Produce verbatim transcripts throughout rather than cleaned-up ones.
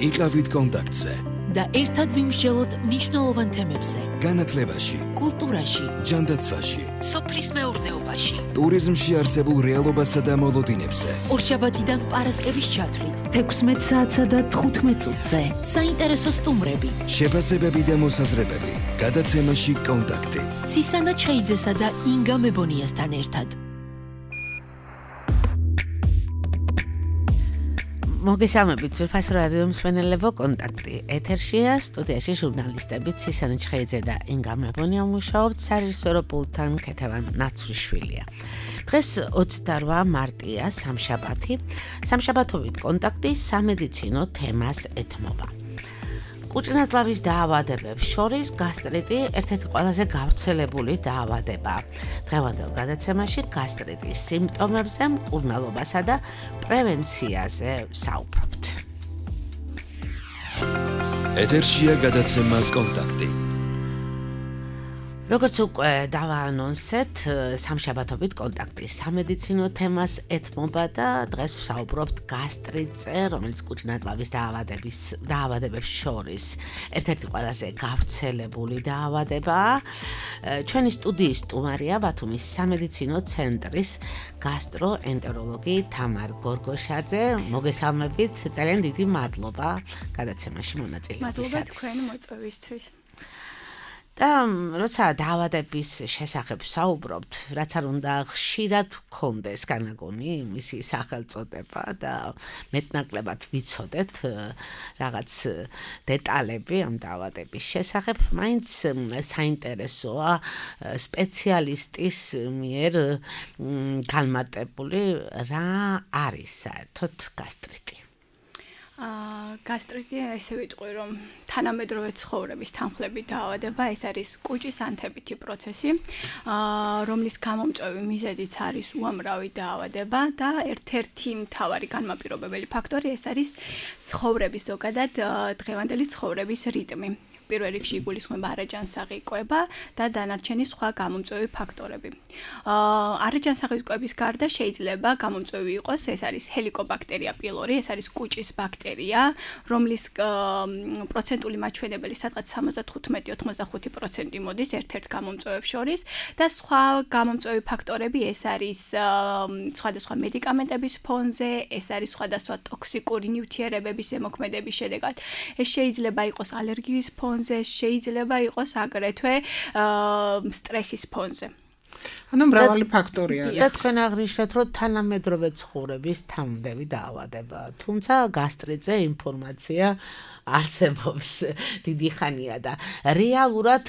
იყავით კონტაქტზე და ერთად ვიმსჯელოთ მნიშვნელოვან თემებზე. განათლებაში, კულტურაში, ჯანდაცვაში, სოფლის მეურნეობაში, ტურიზმში არსებულ რეალობასა და მოლოდინებზე. ორშაბათიდან პარასკევის ჩათვლით, თექვსმეტ საათსა და თხუთმეტ წუთზე. საინტერესო სტუმრები, შეფასებები და მოსაზრებები. გადაცემაში კონტაქტი. ცისანა ჩხეიძესა და ინგა მებონიასთან ერთად. მოგესალმებით, სურფასო რადიო მსმენელებო, კონტაქტი ეთერშია, სტუდიაში ჟურნალისტები ცისანა ჩხეიძე და ინგა მებონია მუშაობთ, სარეჟისორო პულტთან ქეთევან ნაცვლიშვილია. დღეს ოცდაორ მარტია, სამშაბათი, სამშაბათობით კონტაქტი სამედიცინო თემას ეთმობა. კუჭნათლავის დაავადებებს შორის გასტრიტი ერთ-ერთი ყველაზე გავრცელებული დაავადებაა. დღევანდელ გადაცემაში გასტრიტის სიმპტომებზე, მკურნალობასა და პრევენციაზე საუბრობთ. ეთერშია გადაცემა კონტაქტი. როგორც უკვე დავაანონსეთ, სამშაბათობით კონტაქტი სამედიცინო თემას ეთმობა და დღეს ვსაუბრობთ გასტრიტზე, რომელიც კუჭნათლავის დაავადების დაავადებებს შორის ერთ-ერთი ყველაზე გავრცელებული დაავადებაა. ჩვენი სტუდიის სტუმარია ბათუმის სამედიცინო ცენტრის გასტროენტეროლოგი თამარ გორგოშაძე. მოგესალმებით, ძალიან დიდი მადლობა გადაცემაში მონაწილეობისათვის. მადლობა თქვენი მოწვევისთვის. და როცა დაავადების შესახებ საუბრობთ, რაც არ უნდა ხშირად გქონდეს განაგონი მისი სახელწოდება და მეტნაკლებად ვიცოდეთ რაღაც დეტალები ამ დაავადების შესახებ, მაინც საინტერესოა სპეციალისტის მიერ განმარტებული რა არის საერთოდ გასტრიტი. გასტრიტი ესე ვიტყვი, რომ თანამედროვე ცხოვრების თანხლებით დაავადება, ეს არის კუჭის ანთებითი პროცესი, რომლის გამომწვევი მიზეზიც არის უამრავი დაავადება და ერთ-ერთი მთავარი განმაპირობებელი ფაქტორი ეს არის ცხოვრების ზოგადად დღევანდელი ცხოვრების რიტმი. პირველ რიგში იგულისხმება არაჯანსაღი კვება და დანარჩენი სხვა გამომწვევი ფაქტორები. არაჯანსაღი კვების გარდა შეიძლება გამომწვევი იყოს, ეს არის ჰელიკობაქტერია პილორი, ეს არის კუჭის ბაქტერია, რომლის პროცენტული მაჩვენებელი სადღაც სამოცდათხუთმეტი ოცდახუთი პროცენტი მოდის ერთ-ერთ გამომწვევებს შორის და სხვა გამომწვევი ფაქტორები ეს არის სხვადასხვა მედიკამენტების ფონზე, ეს არის სხვადასხვა ტოქსიკური ნივთიერებების ზემოქმედების შედეგად. ეს შეიძლება იყოს ალერგიის ფონზე, შეიძლება იყოს აგრეთვე სტრესის ფონზე. ანუ მრავალი ფაქტორი არის. და თქვენ აღნიშნეთ, რომ თანამედროვე ცხოვრების თანმდევი დაავადება. თუმცა გასტრიტზე ინფორმაცია არსებობს დიდი ხანია და რეალურად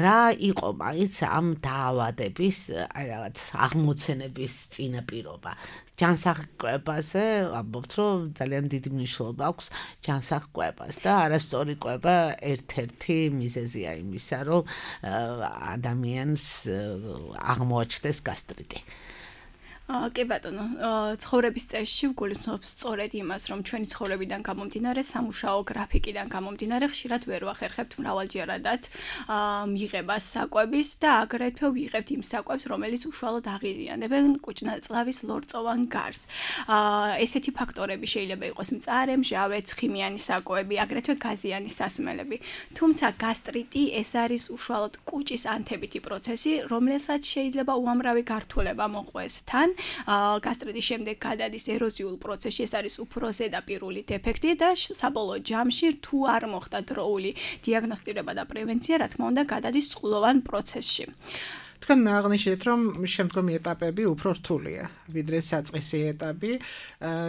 რა იყო მაინც ამ დაავადების აი რაღაც აღმოცენების წინაპირობა. ჯანსაღ კვებაზე ამბობთ, რომ ძალიან დიდი მნიშვნელობა აქვს ჯანსაღ კვებას და არასწორი კვება ერთ-ერთი მიზეზია იმისა, რომ ადამიანს აღმოაჩნდეს გასტრიტი. კი ბატონო, ცხოვრების წესში ვგულისხმობთ სწორედ იმას, რომ ჩვენი ცხოვრებიდან გამომდინარე, სამუშაო გრაფიკიდან გამომდინარე, ხშირად ვერ ვახერხებთ მრავალჯერადად მიღებას საკვების და აგრეთვე ვიღებთ იმ საკვებს, რომელიც უშუალოდ აღიზიანებენ კუჭნათლავის ლორწოვან გარს. ესეთი ფაქტორები შეიძლება იყოს მწარე, მჟავე, ცხიმიანი საკვები, აგრეთვე გაზიანი სასმელები. თუმცა გასტრიტი ეს არის უშუალოდ კუჭის ანთებითი პროცესი, რომელსაც შეიძლება უამრავი გართულება მოყვეს თან. გასტრიტის შემდეგ გადადის ეროზიულ პროცესში, ეს არის უფრო ზედაპირული დეფექტი და საბოლოო ჯამში თუ არ მოხდა დროული დიაგნოსტირება და პრევენცია, რა თქმა უნდა, გადადის წყლოვან პროცესში. თქვენ აღნიშნეთ, რომ შემდგომი ეტაპები უფრო რთულია, ვიდრე საწყისი ეტაპი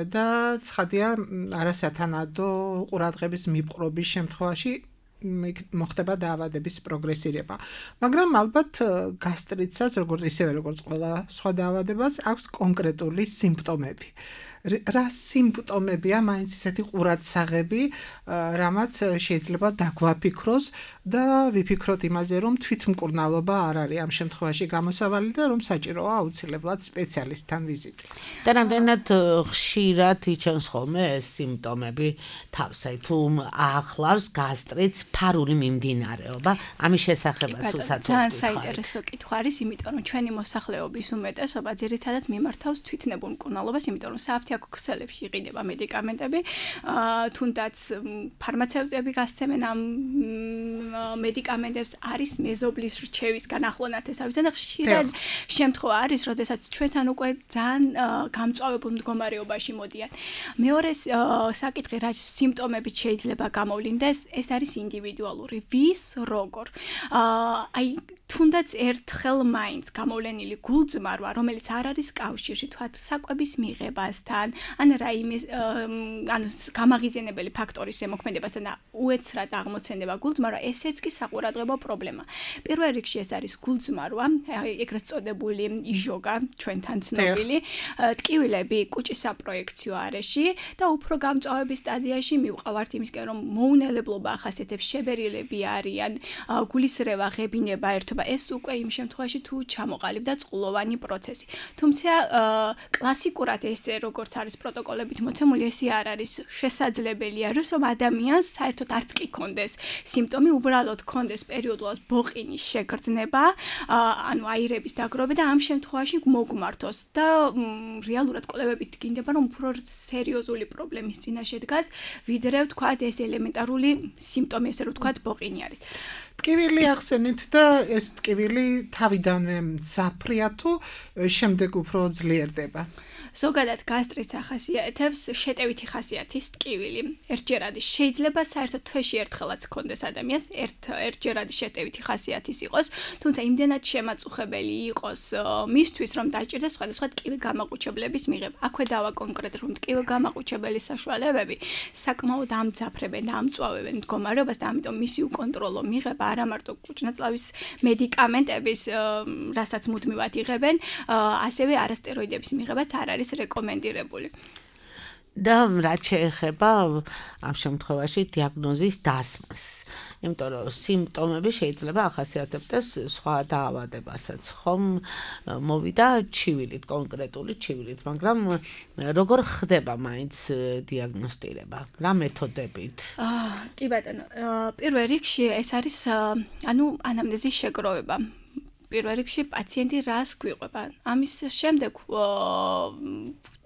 და ცხადია არასათანადო ყურადღების მიპყრობის შემთხვევაში მოხდება დაავადების პროგრესირება. მაგრამ ალბათ გასტრიტსაც, როგორც ისევე როგორც ყველა სხვა დაავადებას, აქვს კონკრეტული სიმპტომები. რა სიმპტომებია მაინც ისეთი ყურადსაღები, რამაც შეიძლება დაგვაფიქროს და ვიფიქროთ იმაზე, რომ თვითმკურნალობა არ არის ამ შემთხვევაში გამოსავალი და რომ საჭიროა აუცილებლად სპეციალისტთან ვიზიტი. და რამდენად ხშირად იჩენს ხოლმე ეს სიმპტომები თავს, აი თუ ახლავს გასტრიტს ფარული მიმდინარეობა, ამის შესახებაც უცად ძალიან საინტერესო კითხვა არის, იმიტომ რომ ჩვენი მოსახლეობის უმეტესობა ძირითადად მიმართავს თვითნებურ მკურნალობას, იმიტომ რომ საფრთხე საქციელებში იყიდება მედიკამენტები, თუნდაც ფარმაცევტები გასცემენ ამ მედიკამენტებს, არის მეზობლის რჩევის განახლონათესავისა და ხშირად შემთხვევა არის, როდესაც ჩვენთან უკვე ძალიან გამწვავებულ მდგომარეობაში მოდიან. მეორე საკითხი, რა სიმპტომებით შეიძლება გამოვლინდეს, ეს არის ინდივიდუალური. ვის როგორ? აი თუნდაც ერთხელ მაინც გამოვლენილი გულწმარვა, რომელიც არ არის კავშირში თქვათ საკვების მიღებასთან, ან რაიმე ანუ გამაღიზიანებელი ფაქტორის ზემოქმედებასთან და უეცრად აღმოცენდება გულწმარვა, ესეც კი საყურადღებო პრობლემა. პირველ რიგში ეს არის გულწმარვა, ეგრეთ წოდებული იჟოგა, ჩვენთან ცნობილი, ტკივილები კუჭის საპროექციო არეში და უფრო გამწვავების სტადიაში მივყავართ იმისკენ, რომ მოუნელებლობა ახასიათებს, შებერილები არიან, გულისრევა, ღებინება ერთობა. ეს უკვე იმ შემთხვევაში თუ ჩამოყალიბდა წყლოვანი პროცესი. თუმცა კლასიკურად ესე როგორც არის პროტოკოლებით მოცემული, ესე არ არის შესაძლებელია, რომ ადამიანს საერთოდ არც კი კონდეს სიმპტომი, უბრალოდ კონდეს პერიოდულად ბოყინის შეგრძნება, ანუ აირების დაგროვება და ამ შემთხვევაში მოგმართოს და რეალურად კვლევებით გინდება, რომ უფრო სერიოზული პრობლემის წინაშე დგას, ვიდრე ვთქვათ ეს ელემენტარული სიმპტომი, ესე რომ ვთქვათ ბოყინი არის. ტკივილი ახსენეთ და ეს ტკივილი თავიდანვე მძაფრია თუ შემდეგ უფრო ძლიერდება. ზოგადად გასტრიტს ახასიათებს შეტევითი ხასიათის ტკივილი. ერთჯერადი შეიძლება საერთოდ თვეში ერთხელაც ჰქონდეს ადამიანს, ერთ ერთჯერადი შეტევითი ხასიათის იყოს, თუმცა იმდენად შემაწუხებელი იყოს მისთვის, რომ დაჭირდეს სხვადასხვა ტკივი გამაყუჩებლების მიღება. აქვე დავა კონკრეტულად, რომ ტკივი გამაყუჩებელი საშუალებები საკმაოდ ამძაფრებენ და ამწვავებენ მდგომარეობას და ამიტომ მისი უკონტროლო მიღება არა მარტო კუჭნაწლავის მედიკამენტების, რასაც მუდმივად იღებენ, ასევე არასტეროიდების მიღებაც არ არის რეკომენდირებული. და რაც შეეხება ამ შემთხვევაში დიაგნოზის დასმას. იმიტომ რომ სიმპტომები შეიძლება ახასიათებდეს სხვა დაავადებასაც. ხომ მოვიდა ჩივილით, კონკრეტული ჩივილით, მაგრამ როგორ ხდება მაინც დიაგნოსტირება? რა მეთოდებით? კი ბატონო, პირველ რიგში ეს არის ანუ ანამნეზის შეგროვება. პირველ რიგში პაციენტი რას გვიყვება. ამის შემდეგ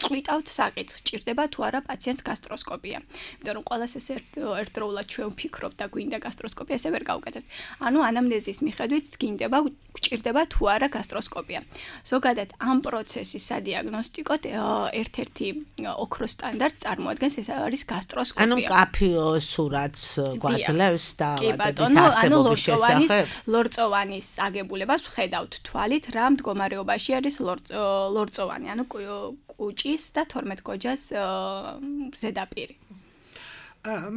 წვიტავთ საკითხს, ჭირდება თუ არა პაციენტს გასტროსკოპია. იმიტომ რომ ყველას ეს ერთდროულად ჩვენ ვფიქრობთ და გვინდა გასტროსკოპია, ესე ვერ გავუკეთებთ. ანუ ანამნეზის მიხედვით გინდება, ჭირდება თუ არა გასტროსკოპია. ზოგადად ამ პროცესის სადიაგნოსტიკოდ ერთ-ერთი ოქროს სტანდარტს წარმოადგენს, ეს არის გასტროსკოპია. ანუ კაფიო სურათს გვაძლევს დაავადების არსებობის შესახებ. ლორწოვანის აგებულებას ხედავთ თვალით, რა მდგომარეობაში არის ლორწოვანი, ანუ კუჭის და თორმეტ გოჯას ზედაპირი.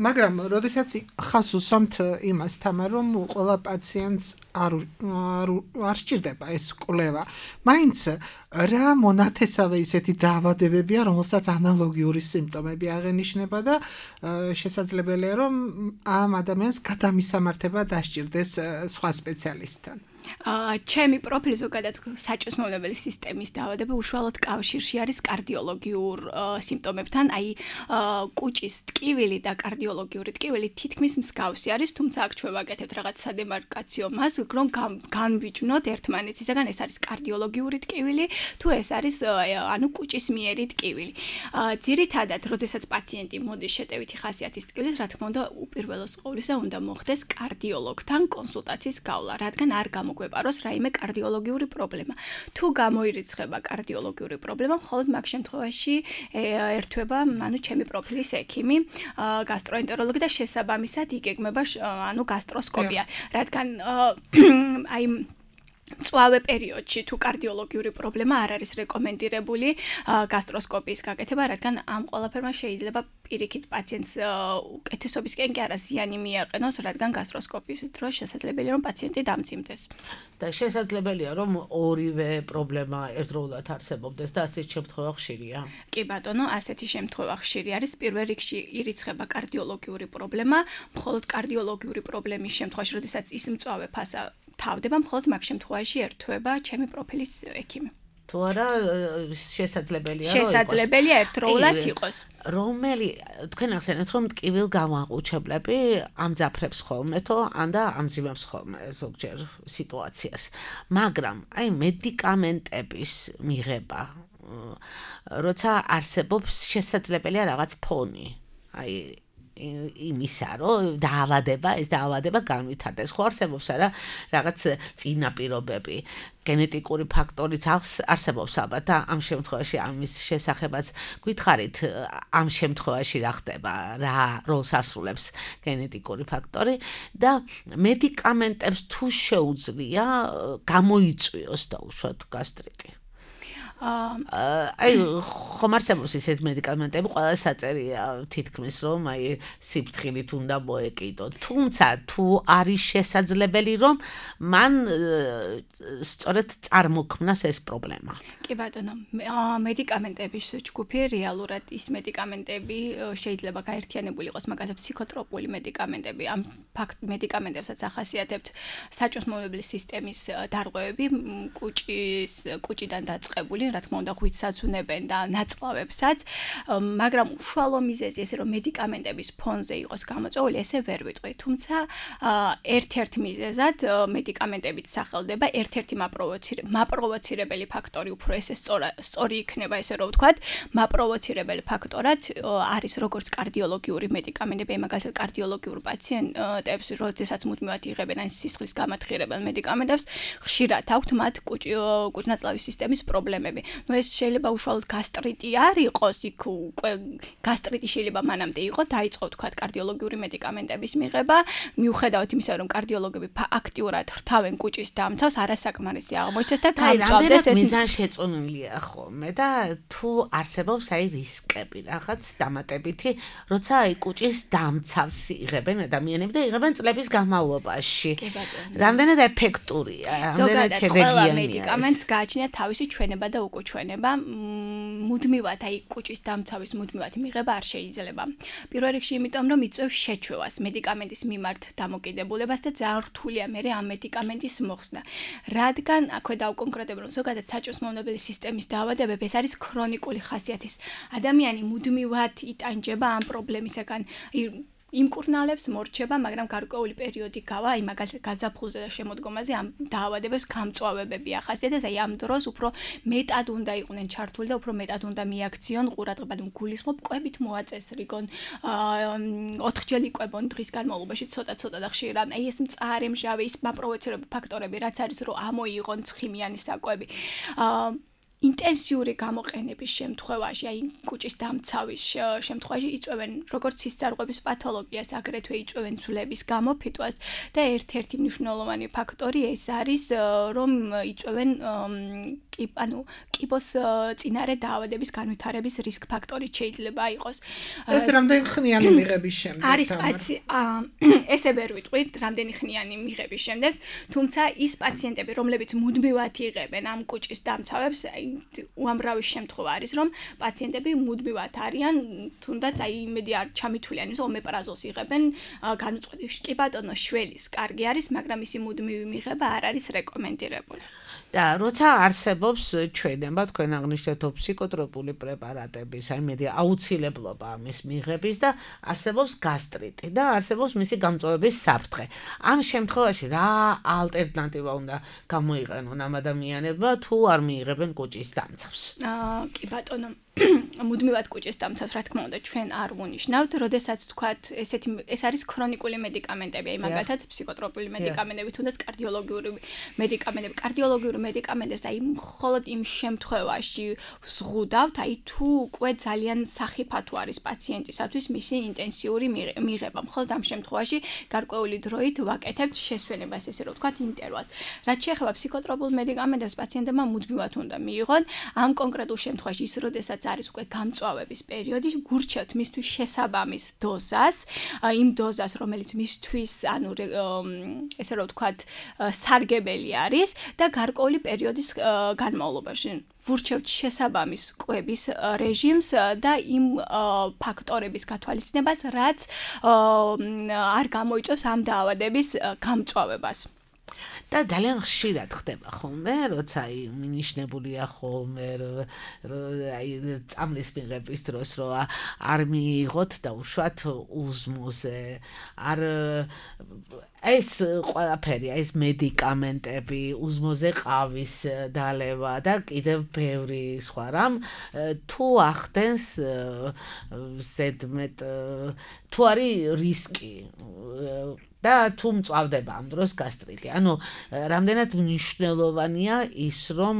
მაგრამ როდესაც ხას უსვამთ იმას თამა, რომ ყველა პაციენტს არ არ სჭირდება ეს კვლევა, მაინც რა მონათესავე ისეთი დაავადებებია, რომელსაც ანალოგიური სიმპტომები აღენიშნება და შესაძლებელია, რომ ამ ადამიანს გადამისამართება დასჭირდეს სხვა სპეციალისტთან. ჩემი პროფილი ზოგადად საჭმლის მომნებელი სისტემის დაავადება უშუალოდ კავშირში არის კარდიოლოგიურ სიმპტომებთან, აი კუჭის ტკივილი და კარდიოლოგიური ტკივილი თითქმის მსგავსი არის, თუმცა აქ ჩვენ ვაკეთებთ რაღაც სადემარკაციო მას, რომ განვიჯნოთ ერთმანეთისაგან, ეს არის კარდიოლოგიური ტკივილი, თუ ეს არის ანუ კუჭის მიერი ტკივილი. ძირითადად, როდესაც პაციენტი მოდის შეტევითი ხასიათის ტკივილით, რა თქმა უნდა, უპირველეს ყოვლისა უნდა მოხდეს კარდიოლოგთან კონსულტაციის გავლა, რადგან არ გამოგვეპაროს რაიმე კარდიოლოგიური პრობლემა. თუ გამოირიცხება კარდიოლოგიური პრობლემა, მხოლოდ მაგ შემთხვევაში ერთვება, ანუ ჩემი პროფილის ექიმი, გასტროენტეროლოგი და შესაბამისად იგეგმება ანუ გასტროსკოპია, რადგან აი მწვავე პერიოდში თუ კარდიოლოგიური პრობლემა არ არის რეკომენდირებული გასტროსკოპიის გაკეთება, რადგან ამ ყველაფერმა შეიძლება პირიქით პაციენტს უკეთესობისკენ კი არა ზიანი მიაყენოს, რადგან გასტროსკოპიის დროს შესაძლებელია რომ პაციენტი დამძიმდეს. და შესაძლებელია რომ ორივე პრობლემა ერთდროულად არსებობდეს და ასეთი შემთხვევა ხშირია. კი ბატონო, ასეთი შემთხვევა ხშირი არის. პირველ რიგში ირიცხება კარდიოლოგიური პრობლემა, მხოლოდ კარდიოლოგიური პრობლემის შემთხვევაში, როდესაც ის მწვავე ფასა თავდება, მხოლოდ მაგ შემთხვევაში ერთვება ჩემი პროფილის ექიმი. თუ არა შესაძლებელია რომ შესაძლებელია ერთდროულად იყოს. რომელი თქვენ ახსენეთ რომ ტკივილ გამაყუჩებლები ამძაფრებს ხოლმე თო ან და ამძიმებს ხოლმე ზოგჯერ სიტუაციას. მაგრამ აი მედიკამენტების მიღება როცა არსებობს შესაძლებელია რაღაც ფონი. აი იმისა, რომ დაავადება, ეს დაავადება განვითარდეს. ხო არსებობს არა რაღაც წინაპირობები, გენეტიკური ფაქტორიც არსებობს ალბათ და ამ შემთხვევაში ამის შესახებაც გითხარით, ამ შემთხვევაში რა ხდება, რა როლს ასრულებს გენეტიკური ფაქტორი და მედიკამენტებს თუ შეუძლია გამოიწვიოს დაუშვათ გასტრიტი. აი ხომ არსებობს ისეთ მედიკამენტები, ყველა საწერია თითქმის რომ აი სიფრთხილით უნდა მოეკიდო. თუმცა თუ არის შესაძლებელი რომ მან სწორედ წარმოქმნას ეს პრობლემა. კი ბატონო, მედიკამენტების ჯგუფი რეალურად ის მედიკამენტები შეიძლება გაერთიანებული იყოს, მაგალითად ფსიქოტროპული მედიკამენტები, ამ მედიკამენტებსაც ახასიათებთ საჭმელობლის სისტემის დარღვევები, კუჭის კუჭიდან დაწყებული, რა თქმა უნდა, ღვიძლსაც უნებენ და ნაწლავებსაც, მაგრამ უშუალო მიზეზი ესე რომ მედიკამენტების ფონზე იყოს გამოწვეული, ესე ვერ ვიტყვი. თუმცა ერთ-ერთ მიზეზად მედიკამენტებით სახელდება ერთ-ერთი მაპროვოცირებელი ფაქტორი, უფრო ესე სწორი იქნება ესე რომ ვთქვათ, მაპროვოცირებელი ფაქტორად არის როგორც კარდიოლოგიური მედიკამენტები, მაგალითად კარდიოლოგიურ პაციენტებს, როდესაც მუდმივად იღებენ ან სისხლის გამათხირებელ მედიკამენტებს, ხშირად აქვთ მათ კუჭ-ნაწლავის სისტემის პრობლემები. ნუ ეს შეიძლება უშუალოდ გასტრიტი არ იყოს, იქ უკვე გასტრიტი შეიძლება მანამდე იყოს, დაიწყო თქვათ კარდიოლოგიური მედიკამენტების მიღება, მიუხედავად იმისა, რომ კარდიოლოგები აქტიურად რთავენ კუჭის დამცავს, არასაკმარისი აღმოჩნდეს და გამწვავდეს ეს შეწონილია ხოლმე და თუ არსებობს აი რისკები, რაღაც დამატებითი, როცა აი კუჭის დამცავს იღებენ ადამიანები და იღებენ წლების განმავლობაში. რამდენად ეფექტურია, რამდენად შედეგიანია. ყველა მედიკამენტს გააჩნია თავისი ჩვენება და უკუჩვენება, მუდმივად აი კუჭის დამცავის მუდმივად მიღება არ შეიძლება. პირველ რიგში იმიტომ რომ იწვევს შეჩვევას, მედიკამენტის მიმართ დამოკიდებულებას და ძალიან რთულია მე ამ მედიკამენტის მოხსნა. რადგან აქვე დავკონკრეტებ რომ ზოგადად საჭმელობელი სისტემის დაავადებები ეს არის ქრონიკული ხასიათის. ადამიანი მუდმივად იტანჯება ამ პრობლემისაგან. იმკურნალებს მორჩება, მაგრამ გარკვეული პერიოდი გავა, აი მაგალითად გაზაფხულზე და შემოდგომაზე ამ დაავადებებს გამწვავებები ახასიათებს, აი ამ დროს უფრო მეტად უნდა იყვნენ ჩართული და უფრო მეტად უნდა მიაქციონ ყურადღება, თუ გულისხმობ კვებით მოაწესრიგონ, ოთხჯერ იკვებონ დღის განმავლობაში, ცოტა-ცოტა და ხშირად, აი ეს მწარე მჟავე, ის მაპროვოცირებელი ფაქტორები, რაც არის რომ ამოიღონ ცხიმიანი საკვები. ინტენსიური გამოყენების შემთხვევაში, აი კუჭის დამცავის შემთხვევაში იწვევენ როგორც სისწარღვების პათოლოგიას, აგრეთვე იწვევენ ძვლების გამოფიტვას და ერთ-ერთი მნიშვნელოვანი ფაქტორი ეს არის, რომ იწვევენ კი, ანუ კიბოს წინარე დაავადების განვითარების რისკ ფაქტორი შეიძლება იყოს. ეს რამდენი ხნიანი მიღების შემდეგ? არის პაცი ესე ვერ ვიტყვით, რამდენი ხნიანი მიღების შემდეგ, თუმცა ის პაციენტები, რომლებიც მუდმივად იღებენ ამ კუჭის დამცავებს, აი უამრავი შემთხვევა არის, რომ პაციენტები მუდმივად არიან, თუნდაც აი იმედი არ ჩამithulიან, ის ომეპრაზოლს იღებენ განუწყვეტი. კი ბატონო, შველის კარგი არის, მაგრამ ისი მუდმივი მიღება არ არის რეკომენდირებული. და როცა არსებობს ჩვენება, თქვენ აღნიშნეთ ფსიქოტროპული პრეპარატების, აი მედი აუცილებლობა ამის მიღების და არსებობს გასტრიტი და არსებობს მისი გამწვავების საფრთხე. ამ შემთხვევაში რა ალტერნატივა უნდა გამოიყენონ ამ ადამიანებმა, თუ არ მიიღებენ კუჭის დამცავს? აა, კი ბატონო, მუდმივად კუჭის დამცავს, რა თქმა უნდა, ჩვენ არ ვუნიშნავთ, როდესაც თქვათ, ესეთი ეს არის ქრონიკული მედიკამენტები, აი მაგალითად ფსიქოტროპული მედიკამენტები, თუნდაც კარდიოლოგიური მედიკამენტები, კარდიოლოგიური მედიკამენტებს, აი მხოლოდ იმ შემთხვევაში ვზღუდავთ, აი თუ უკვე ძალიან სახიფათო არის პაციენტისათვის მისი ინტენსიური მიღება, მხოლოდ ამ შემთხვევაში გარკვეული დროით ვაკეთებთ შესვენებას, ესე რომ ვთქვათ, ინტერვალს. რაც შეეხება ფსიქოტროპულ მედიკამენტებს, პაციენტებმა მუდმივად უნდა მიიღონ, ამ კონკრეტულ შემთხვევაში ის როდესაც არის უკვე გამწვავების პერიოდი, გურჩევთ მისთვის შესაბამის დოზას, იმ დოზას, რომელიც მისთვის, ანუ ესე რომ ვთქვათ, სარგებელი არის და გარკვეული პერიოდის განმავლობაში ვურჩევთ შესაბამის კვების რეჟიმს და იმ ფაქტორების გათვალისწინებას, რაც არ გამოიწვევს ამ დაავადების გამწვავებას. და ძალიან ხშირად ხდება ხოლმე, როცა აი მინიშნებულია ხოლმე აი წამლის მიღების დროს რო არ მიიღოთ და უშუალოდ უზმოზე არ ეს ყველაფერი, ეს მედიკამენტები, უზმოზე ყავის დალევა და კიდევ ბევრი სხვა რამ თუ ახდენს ზედმეტ თუ არის რისკი და თუ მწვავდება ამ დროს გასტრიტი. ანუ რამდენად მნიშვნელოვანია ის რომ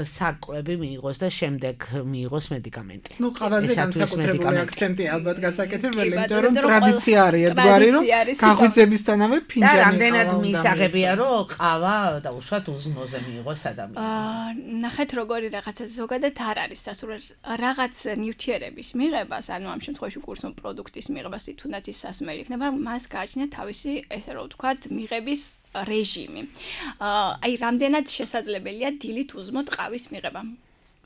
საკვები მიიღოს და შემდეგ მიიღოს მედიკამენტი. ნუ ყავაზე განსაკუთრებული აქცენტი ალბათ გასაკეთებელი, იმიტომ რომ ტრადიცია არის ერთგვარი, რომ გაღვიძებისთანავე ფინჯანი ყავა. და რამდენად მისაღებია რომ ყავა და უშუალოდ უზმოზე მიიღოს ადამიანს. აა ნახეთ როგორი რაღაცა ზოგადად არ არის სასურველი რაღაც ნივთიერების მიღებას, ანუ ამ შემთხვევაში კურსო პროდუქტის მიღებას თუნდაც ის სასმელი იქნება, მას გააჩნია თავის ესე რომ ვთქვათ, მიღების რეჟიმი. აი, რამდენად შესაძლებელია დილით უზმოთ ყავის მიღება.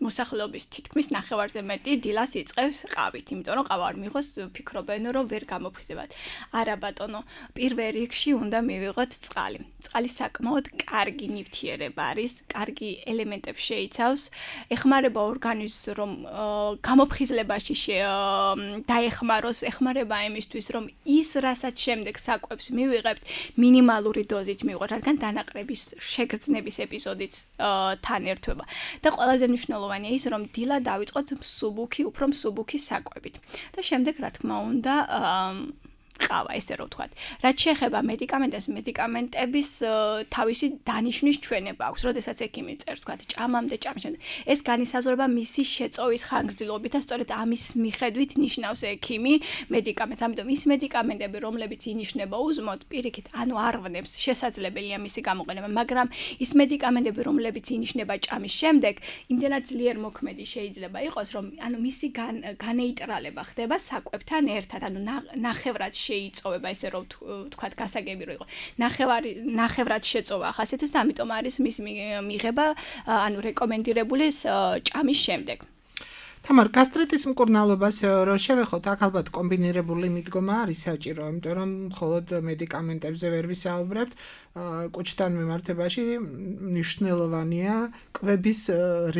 მოსახლეობის თითქმის ნახევარზე მეტი დილას იწყებს ყავით, იმიტომ რომ ყავა არ მიიღოს, ფიქრობენ რომ ვერ გამოფხიზებათ. არა ბატონო, პირველ რიგში უნდა მივიღოთ წყალი. წყალი საკმაოდ კარგი ნივთიერება არის, კარგი ელემენტებს შეიცავს, ეხმარება ორგანიზმს რომ გამოფხიზლებაში დაეხმაროს, ეხმარება იმისთვის რომ ის რასაც შემდეგ საკვებს მივიღებთ, მინიმალური დოზით მივიღოთ, რადგან დანაყრების შეგრძნების ეპიზოდიც თან ერთვება. და ყველაზე მნიშვნელოვანია ის რომ დილა დავიწყოთ მსუბუქი, უფრო მსუბუქი საკვებით. და შემდეგ რა თქმა უნდა ყავა, ესე რომ ვთქვათ. რაც შეეხება მედიკამენტებს, მედიკამენტების თავისი დანიშვნის ჩვენება აქვს, როდესაც ექიმი წერს, ვთქვათ, ჭამამდე, ჭამამდე. ეს განისაზღვრება მისი შეწოვის ხანგრძლივობით და სწორედ ამის მიხედვით ნიშნავს ექიმი მედიკამენტს. ამიტომ ის მედიკამენტები, რომლებიც ინიშნება უზმოდ, პირიქით, ანუ არ ვნებს, შესაძლებელია მისი გამოყენება, მაგრამ ის მედიკამენტები, რომლებიც ინიშნება ჭამის შემდეგ, იმდენად ძლიერ მოქმედი შეიძლება იყოს, რომ ანუ მისი განეიტრალება ხდება საკვებთან ერთად, ანუ ნახევრად შეიწოვება, ესე რომ ვთქვათ, გასაგები რო იყო. ნახევარი ნახევრად შეწოვა ახასიათებს და ამიტომ არის მის მიღება, ანუ რეკომენდირებული ჭამის შემდეგ. თამარ, გასტრიტის მკურნალობას რო შევეხოთ, აქ ალბათ კომბინირებული მიდგომა არის საჭირო, იმიტომ რომ მხოლოდ მედიკამენტებზე ვერ ვისაუბრებთ, კუჭთან მიმართებაში მნიშვნელოვანია კვების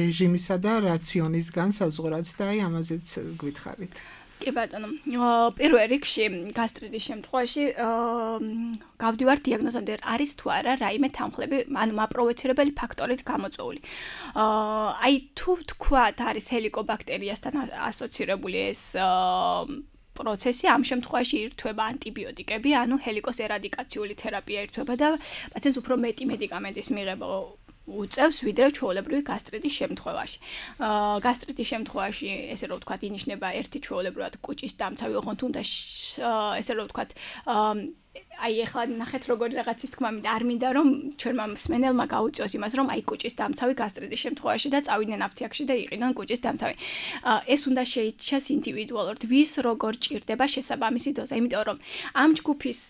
რეჟიმისა და რაციონის განსაზღვრაც და აი ამაზეც გვითხრით. კი ბატონო, პირველ რიგში გასტრიტის შემთხვევაში გავდივართ დიაგნოზამდე, არის თუ არა რაიმე თანხლები, ანუ მაპროვოცირებელი ფაქტორით გამოწვეული. აი თუ თქვათ არის ჰელიკობაქტერიასთან ასოცირებული ეს პროცესი, ამ შემთხვევაში ირთვება ანტიბიოტიკები, ანუ ჰელიკოს ერადიკაციული თერაპია ირთვება და პაციენტს უფრო მეტი მედიკამენტის მიღება უწევს ვიდრე ჩვეულებრივი გასტრიტის შემთხვევაში. გასტრიტის შემთხვევაში, ესე რომ ვთქვათ, ინიშნება ერთი ჩვეულებრივად კუჭის დამცავი, ოღონდ თუნდაც ესე რომ ვთქვათ, აი ეხლა ნახეთ როგორი რაღაცის თქმა მინდა, არ მინდა რომ ჩვენმა მსმენელმა გაუწიოს იმას, რომ აი კუჭის დამცავი გასტრიტის შემთხვევაში და წავიდნენ აფთიაქში და იყინონ კუჭის დამცავი. ეს უნდა შეიჩას ინდივიდუალურად, ვის როგორ ჭირდება შესაბამისი დოზა, იმიტომ რომ ამ ჯგუფის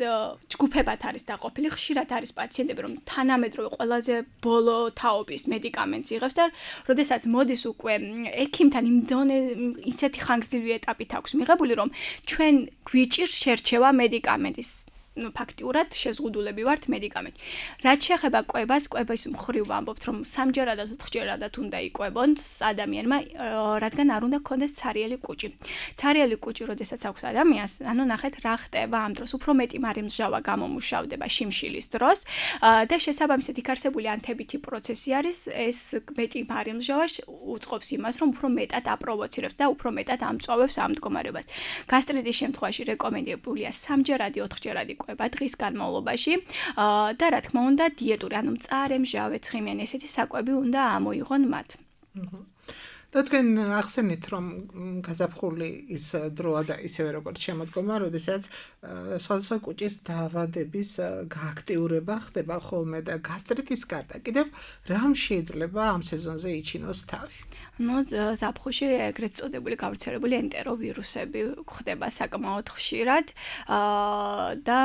ჯგუფებად არის დაყოფილი, ხშირად არის პაციენტები, რომ თანამედროვე ყველაზე ბოლო თაობის მედიკამენტს იღებს და როდესაც მოდის უკვე ექიმთან იმ დონე ისეთი ხანგრძლივი ეტაპით აქვს მიღებული, რომ ჩვენ გვიჭირს შერჩევა მედიკამენტის. ფაქტიურად შეზღუდულები ვართ მედიკამენტი. რაც შეეხება კვებას, კვების მხრივ ვამბობთ, რომ სამჯერადად, ოთხჯერადად უნდა იკვებონ ადამიანმა, რადგან არ უნდა ქონდეს ცარიელი კუჭი. ცარიელი კუჭი, როდესაც აქვს ადამიანს, ანუ ნახეთ რა ხდება ამ დროს, უფრო მეტი მარილმჟავა გამომუშავდება შიმშილის დროს და შესაბამისად იქარსებული ანთებითი პროცესი არის, ეს მეტი მარილმჟავა უწყობს იმას, რომ უფრო მეტად აპროვოცირებს და უფრო მეტად ამწვავებს ამ მდგომარეობას. გასტრიტის შემთხვევაში რეკომენდებულია სამჯერადი, ოთხჯერადი კვება დღის განმავლობაში და რა თქმა უნდა დიეტური, ანუ მწარე, მჟავე, ცხიმიანი ესეთი საკვები უნდა ამოიღონ მათ. და თქვენ ახსენეთ, რომ გაზაფხული ის დროა და ისევე როგორც შემოდგომა, როდესაც სხვადასხვა კუჭის დაავადების გააქტიურება ხდება ხოლმე და გასტრიტის გარდა კიდევ რამ შეიძლება ამ სეზონზე იჩინოს თავი? ნუ ზაფხულში ეგრეთ წოდებული გავრცელებული ენტეროვირუსები ხდება საკმაოდ ხშირად და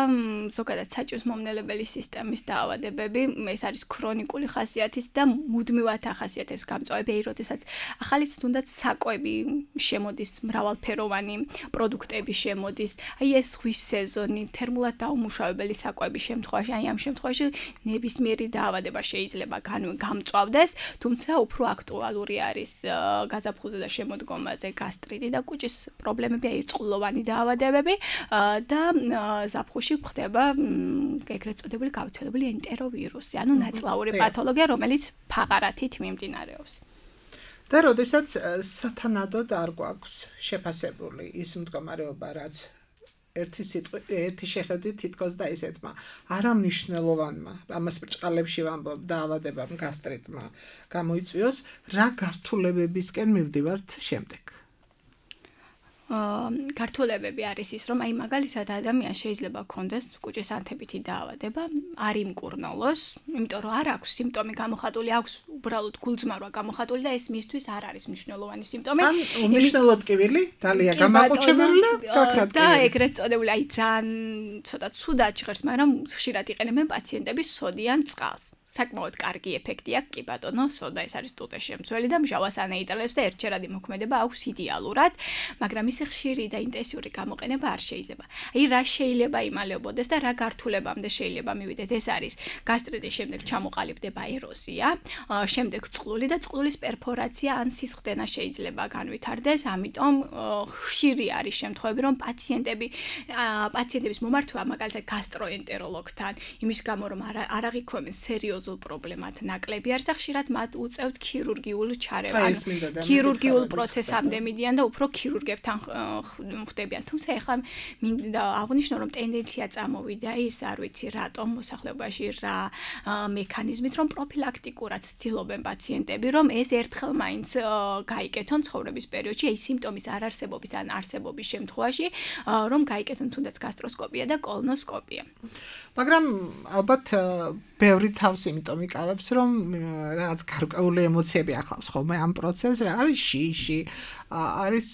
ზოგადად საჭიროს მომნელებელი სისტემის დაავადებები, ეს არის ქრონიკული ხასიათის და მუდმივად ახასიათებს გამწვავები, როდესაც ახალ ახალიც თუნდაც საკვები შემოდის, მრავალფეროვანი პროდუქტები შემოდის. აი ეს ზღვის სეზონი, თერმულად დაუმუშავებელი საკვების შემთხვევაში, აი ამ შემთხვევაში ნებისმიერი დაავადება შეიძლება გამწვავდეს, თუმცა უფრო აქტუალური არის გაზაფხულზე და შემოდგომაზე გასტრიტი და კუჭის პრობლემები, აი რწყულოვანი დაავადებები და ზაფხულში ხდება ეგრეთ წოდებული გავრცელებული ენტეროვირუსი, ანუ ნაწლავური პათოლოგია, რომელიც ფაღარათით მიმდინარეობს. და როდესაც სათანადოდ არ გვაქვს შეფასებული ის მდგომარეობა, რაც ერთი სიტყვი, ერთი შეხედვით თითქოს და ისეთმა არამნიშვნელოვანმა, ამას ბრჭყალებში ვამბობ, დაავადებამ გასტრიტმა გამოიწვიოს, რა გართულებებისკენ მივდივართ შემდეგ? გართულებები არის ის, რომ აი მაგალითად ადამიანს შეიძლება ჰქონდეს კუჭის ანთებითი დაავადება, არ იმკურნალოს, იმიტომ რომ არ აქვს სიმპტომი გამოხატული, აქვს უბრალოდ გულწმარვა გამოხატული და ეს მისთვის არ არის მნიშვნელოვანი სიმპტომი. ან უმნიშვნელოდ კივილი, დალია გამაყუჩებელი და გაქრათ და ეგრეთ წოდებული აი ძალიან ცოტა ცუდად ჟღერს, მაგრამ ხშირად იყენებენ პაციენტები სოდიან წყალს. საკმაოდ კარგი ეფექტი აქვს, კი ბატონო, სოდა ეს არის ტუტე შემცველი და მჟავას ანეიტრალებს და ერთჯერადი მოქმედება აქვს იდეალურად, მაგრამ ის ხშირი და ინტენსიური გამოყენება არ შეიძლება. აი რა შეიძლება იმალებოდეს და რა გართულებამდე შეიძლება მივიდეთ, ეს არის გასტრიტის შემდეგ ჩამოყალიბდება ეროზია, შემდეგ წყლული და წყლულის პერფორაცია ან სისხლდენა შეიძლება განვითარდეს, ამიტომ ხშირი არის შემთხვევები, რომ პაციენტები პაციენტების მომართვა მაგალითად გასტროენტეროლოგთან, იმის გამო რომ არ აღიქვამენ სერიოზ პრობლემად ნაკლები არის და ხშირად მათ უწევთ ქირურგიულ ჩარევას, ქირურგიულ პროცესამდე მიდიან და უფრო ქირურგებთან ხდებიან. თუმცა ეხლა მინდა აღვნიშნო, რომ ტენდენცია წამოვიდა ის, არ ვიცი რატომ მოსახლეობაში რა მექანიზმით, რომ პროფილაქტიკურად ცდილობენ პაციენტები, რომ ეს ერთხელ მაინც გაიკეთონ ცხოვრების პერიოდში, აი სიმპტომის არარსებობის ან არსებობის შემთხვევაში, რომ გაიკეთონ თუნდაც გასტროსკოპია და კოლონოსკოპია. მაგრამ ალბათ ბევრი თავს იმიტომ იკავებს, რომ რაღაც გარკვეული ემოციები ახლავს ხოლმე ამ პროცესს, არის შიში, არის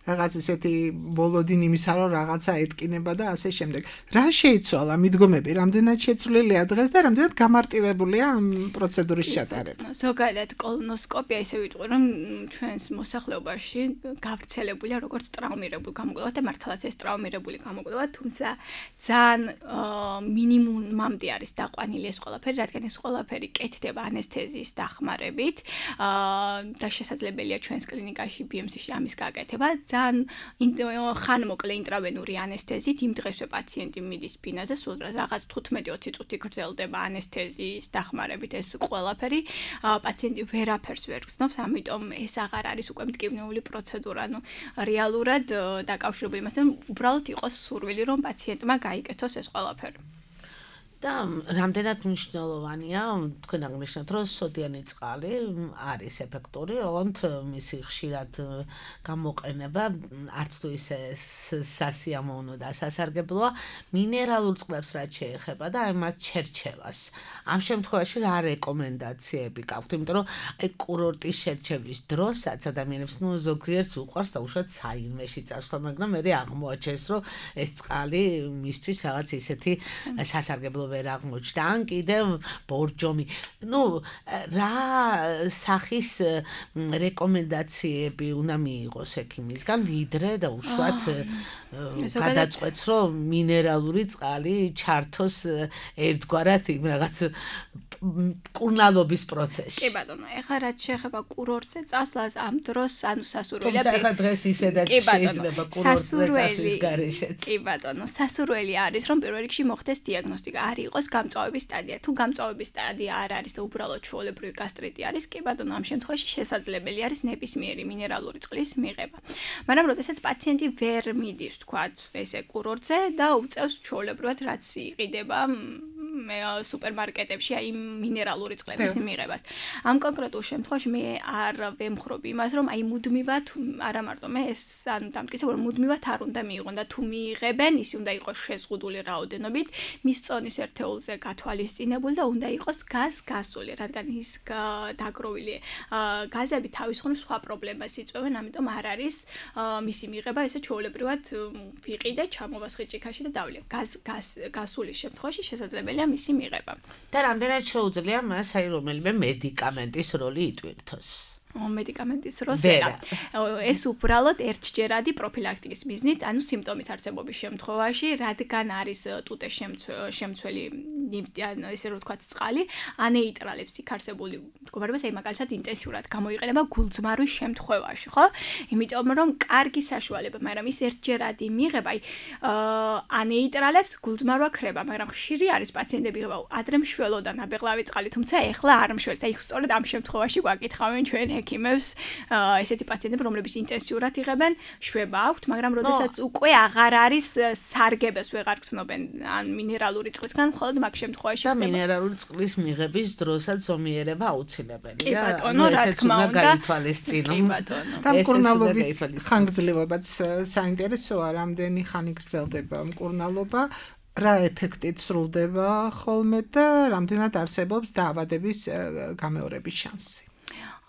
რაღაც ესეთი ბოლოდინ იმისა, რომ რაღაცა ეთკინება და ასე შემდეგ. რა შეიცვალა მიდგომები, რამდენად შეცვლილია დღეს და რამდენად გამარტივებულია ამ პროცედურის ჩატარება? ზოგადად კოლონოსკოპია ისე ვიტყვი, რომ ჩვენს მოსახლეობაში გავრცელებულია როგორც ტრავმირებული გამოკვლევა და მართლაც ეს ტრავმირებული გამოკვლევა, თუმცა ძალიან მინიმუმამდე არის დაყვანილი ეს ყველაფერი, რადგან ეს ყველაფერი კეთდება ანესთეზიის დახმარებით და შესაძლებელია ჩვენს კლინიკაში ბი ემ სი-ში ამის გაკეთება. ძალიან ხანმოკლე ინტრავენური ანესთეზით იმ დღესვე პაციენტი მიდის ბინაზე, სულ რაღაც თხუთმეტი ოცი წუთი გრძელდება ანესთეზიის დახმარებით ეს ყველაფერი. პაციენტი ვერაფერს ვერ გრძნობს, ამიტომ ეს აღარ არის უკვე მტკივნეული პროცედურა, ანუ რეალურად დაკავშირებული იმასთან, უბრალოდ იყოს სურვილი, რომ პაციენტმა გაიკეთოს ეს ყველაფერი. და რამდენად მნიშვნელოვანია, თქვენ აღნიშნეთ, რომ სოდიანი წყალი არის ეფექტური, ოღონდ მისი ხშირად გამოყენება არც თუ ისე სასიამოვნო და სასარგებლოა, მინერალურ წყლებს რაც შეეხება და აი მათ ჩერჩევას. ამ შემთხვევაში რა რეკომენდაციები გაქვთ, იმიტომ რომ აი კურორტის შერჩევის დროსაც ადამიანებს ნუ ზოგიერთს უყვარს და უშუალოდ საინმეში წასვლა, მაგრამ მე აღმოაჩენს, რომ ეს წყალი მისთვის რაღაც ისეთი სასარგებლო ვერ აღმოჩნდა, ან კიდევ ბორჯომი. ნუ რა სახის რეკომენდაციები უნდა მიიღოს ექიმისგან, ვიდრე და უშუალოდ გადაწყვეტს, რომ მინერალური წყალი ჩართოს ერთგვარად იმ რაღაც კურნალობის პროცესში. კი ბატონო, ეხლა რაც შეეხება კურორტზე წასვლას ამ დროს, ანუ სასურველია. თუმცა ეხლა დღეს ისედაც შეიძლება კურორტზე წასვლის გარეშეც. კი ბატონო, სასურველი არის, რომ პირველ რიგში მოხდეს დიაგნოსტიკა, არ იყოს გამწვავების სტადია. თუ გამწვავების სტადია არ არის და უბრალოდ ჩვეულებრივი გასტრიტი არის, კი ბატონო, ამ შემთხვევაში შესაძლებელი არის ნებისმიერი მინერალური წყლის მიღება. მაგრამ როდესაც პაციენტი ვერ მიდის, თქვათ, ესე კურორტზე და უწევს ჩვეულებრივად რაც იყიდება მე სუპერმარკეტებში აი მინერალური წყლების მიღებას. ამ კონკრეტულ შემთხვევაში მე არ ვემხრობ იმას, რომ აი მუდმივად არა მარტო მე ეს ანუ დამტკიცებ, რომ მუდმივად არ უნდა მიიღონ და თუ მიიღებენ, ისი უნდა იყოს შეზღუდული რაოდენობით, მის წონის ერთეულზე გათვალისწინებული და უნდა იყოს გაზ-გასული, რადგან ის დაგროვილი გაზები თავის მხრივ სხვა პრობლემას იწვევენ, ამიტომ არ არის მისი მიღება ესე ჩვეულებრივად ვიყიდე, ჩამოვასხი ჭიქაში და დავლე. გაზ-გასული შემთხვევაში შესაძლებელია მისი მიღება. და რამდენად შეუძლია მას აი რომელიმე მედიკამენტის როლი იტვირთოს? მედიკამენტის დროს ვერა. ეს უბრალოდ ერთჯერადი პროფილაქტიკის მიზნით, ანუ სიმპტომის არსებობის შემთხვევაში, რადგან არის ტუტეს შემცველი, ანუ ესე რომ ვთქვათ, წყალი, ანეიტრალებს იქ არსებული მდგომარეობას, აი მაგალითად ინტენსიურად გამოიყენება გულწმარვის შემთხვევაში, ხო? იმიტომ რომ კარგი საშუალება, მაგრამ ის ერთჯერადი მიღება, აი ანეიტრალებს გულწმარვა ქრება, მაგრამ ხშირი არის პაციენტები იღება ადრე მშველოდან აბეღლავი წყალი, თუმცა ეხლა არ მშველს. აი სწორედ ამ შემთხვევაში გვაკითხავენ ჩვენ ექიმებს, ესეთი პაციენტები, რომლებიც ინტენსიურად იღებენ, შვება აქვთ, მაგრამ როდესაც უკვე აღარ არის სარგებელს ვეღარ გრძნობენ ან მინერალური წყლისგან, მხოლოდ მაგ შემთხვევაში ხდება. მინერალური წყლის მიღების დროსაც ზომიერება აუცილებელია. კი ბატონო, რა თქმა უნდა, გაითვალისწინო. კი ბატონო. და მკურნალობის ხანგრძლივობაც საინტერესოა, რამდენი ხანი გრძელდება მკურნალობა, რა ეფექტით სრულდება ხოლმე და რამდენად არსებობს დაავადების გამეორების შანსი.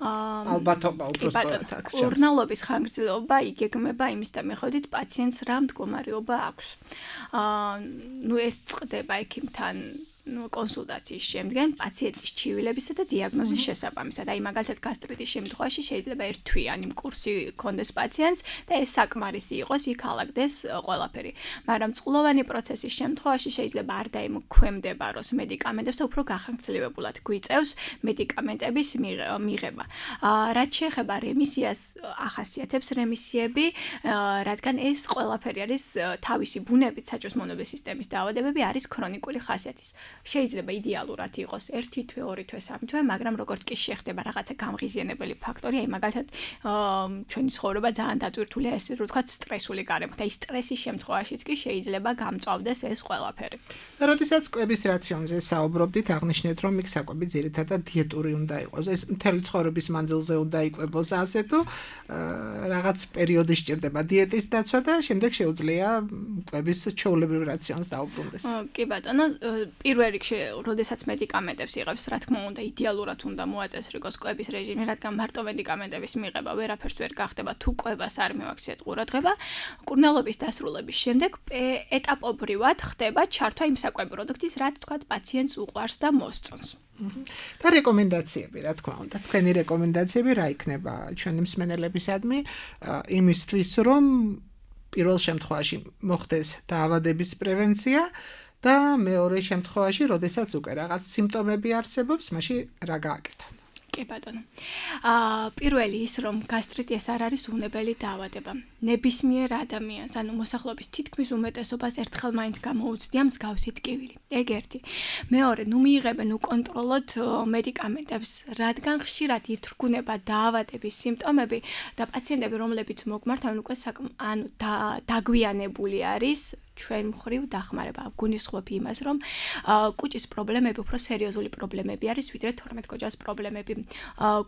ალბათობა უბრალოდ აქ. მკურნალობის ხანგრძლივობა იგეგმება იმის მიხედვით პაციენტს რა მდგომარეობა აქვს. აა ნუ ეს წყდება ექიმთან ну კონსულტაციის შემდგენ პაციენტის ჩივილებისა და დიაგნოზის შესაბამისად. აი მაგალითად გასტრიტის შემთხვევაში შეიძლება ერთთვიანი მკურსი ქონდეს პაციენტს და ეს საკმარისი იყოს, იქ ალაგდეს ყველაფერი. მაგრამ წყლოვანი პროცესის შემთხვევაში შეიძლება არ დაიმოქმედებაროს მედიკამენტებს და უფრო გახანგრძლივებულად გვიწევს მედიკამენტების მიღება. რაც შეეხება რემისიას, ახასიათებს რემისიები, რადგან ეს ყველაფერი არის თავისი ბუნებით საჭმლის მონობის სისტემის დაავადებები არის ქრონიკული ხასიათის. შეიძლება იდეალურად იყოს ერთი თვე, ორი თვე, სამი თვე, მაგრამ როგორც კი შეხდება რაღაცა გამღიზიანებელი ფაქტორი, აი მაგალითად ჩვენი ცხოვრება ძალიან დატვირთულია, ესე რომ ვთქვათ, სტრესული გარემოთი. აი სტრესის შემთხვევაშიც კი შეიძლება გამწვავდეს ეს ყველაფერი. და როდესაც კვების რაციონზე საუბრობდით, აღნიშნეთ, რომ იქ საკვები ძირითადად დიეტური უნდა იყოს. ეს მთელი ცხოვრების მანძილზე უნდა იკვებოს ასე თუ რაღაც პერიოდი სჭირდება დიეტის დაცვა და შემდეგ შეუძლია კვების ჩვეულებრივ რაციონს დაუბრუნდეს. კი ბატონო, პირველ რიგში, როდესაც მედიკამენტებს იღებს, რა თქმა უნდა, იდეალურად უნდა მოაწესრიგოს კვების რეჟიმი, რადგან მარტო მედიკამენტების მიღება ვერაფერს ვერ გახდება, თუ კვებას არ მივაქციეთ ყურადღება. მკურნალობის დასრულების შემდეგ ეტაპობრივად ხდება ჩართვა იმ საკვები პროდუქტის, რაც თქვათ პაციენტს უყვარს და მოსწონს. და რეკომენდაციები, რა თქმა უნდა, თქვენი რეკომენდაციები რა იქნება ჩვენი მსმენელებისადმი იმისთვის, რომ პირველ შემთხვევაში მოხდეს დაავადების პრევენცია და მეორე შემთხვევაში, როდესაც უკვე რაღაც სიმპტომები არსებობს, მაშინ რა გააკეთონ? კი ბატონო. აა პირველი ის რომ გასტრიტი ეს არ არის უნებელი დაავადება. ნებისმიერ ადამიანს, ანუ მოსახლეობის თითქმის უმეტესობას ერთხელ მაინც გამოუცდია მსგავსი ტკივილი. ეგ ერთი. მეორე, ნუ მიიღებენ უკონტროლოდ მედიკამენტებს, რადგან ხშირად ითრგუნება დაავადების სიმპტომები და პაციენტები, რომლებიც მოგმართავენ, უკვე ანუ დაგვიანებული არის. ჩვენ მხრივ დახმარება გულისხმობ იმას, რომ კუჭის პრობლემები უფრო სერიოზული პრობლემები არის, ვიდრე თორმეტგოჯას პრობლემები.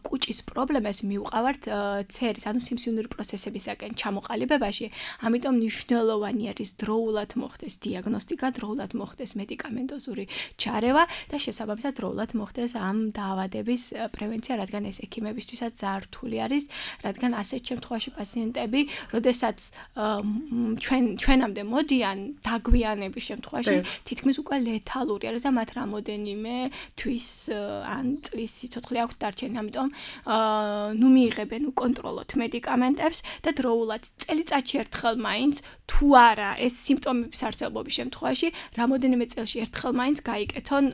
კუჭის პრობლემას მივყავართ ცერის, ანუ სიმსივნური პროცესებისაკენ ჩამოყალიბებაში, ამიტომ მნიშვნელოვანი არის დროულად მოხდეს დიაგნოსტიკა, დროულად მოხდეს მედიკამენტოზური ჩარევა და შესაბამისად დროულად მოხდეს ამ დაავადების პრევენცია, რადგან ეს ექიმებისთვისაც ძალიან რთული არის, რადგან ასეთ შემთხვევაში პაციენტები, როდესაც ჩვენ ჩვენამდე მოდიან დაგვიანების შემთხვევაში თითქმის უკვე ლეთალური არის და მათ რამოდენიმე თვის ან წლის სიცოცხლე აქვთ დარჩენილი, ამიტომ ნუ მიიღებენ უკონტროლოდ მედიკამენტებს და დროულად წელიწადში ერთხელ მაინც თუ არა ეს სიმპტომების არსებობის შემთხვევაში რამოდენიმე წელში ერთხელ მაინც გაიკეთონ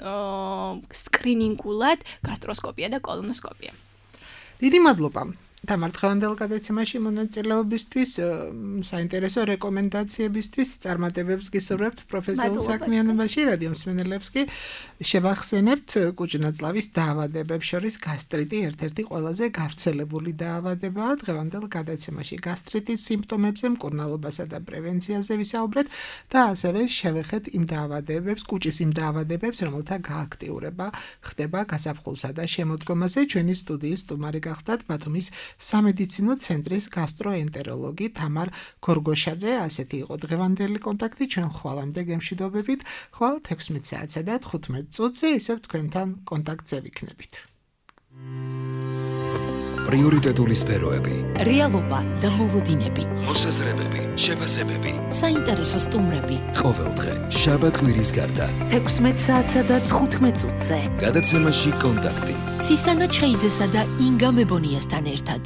სკრინინგულად გასტროსკოპია და კოლონოსკოპია. დიდი მადლობა. თამარ დღევანდელ გადაცემაში მონაწილეობისთვის, საინტერესო რეკომენდაციებისთვის, წარმატებებს გისურვებთ პროფესიულ საქმიანობაში, რადიო მსმენელებს კი შევახსენებთ კუჭნაწლავის დაავადებებს შორის გასტრიტი ერთ-ერთი ყველაზე გავრცელებული დაავადებაა. დღევანდელ გადაცემაში გასტრიტის სიმპტომებზე, მკურნალობასა და პრევენციაზე ვისაუბრეთ და ასევე შევეხეთ იმ დაავადებებს, კუჭის იმ დაავადებებს, რომელთა გააქტიურება ხდება გაზაფხულსა და შემოდგომაზე. ჩვენი სტუდიის სტუმარი გახდათ ბათუმის სამედიცინო ცენტრის გასტროენტეროლოგი თამარ გორგოშაძე. ასეთი იყო დღევანდელი კონტაქტი. ჩვენ ხვალამდე გემშვიდობებით. ხვალ ექვსმეტ საათსა და თხუთმეტ წუთზე ისევ თქვენთან კონტაქტზე ვიქნებით. პრიორიტეტული სფეროები, რეალობა და მოლოდინები, მოსაზრებები, შეფასებები. საინტერესო სტუმრები. ყოველდღე, შაბათ-კვირის გარდა. თექვსმეტ საათსა და თხუთმეტ წუთზე. გადაცემაში კონტაქტი. ცისანა ჩხეიძესა და ინგა მებონიასთან ერთად.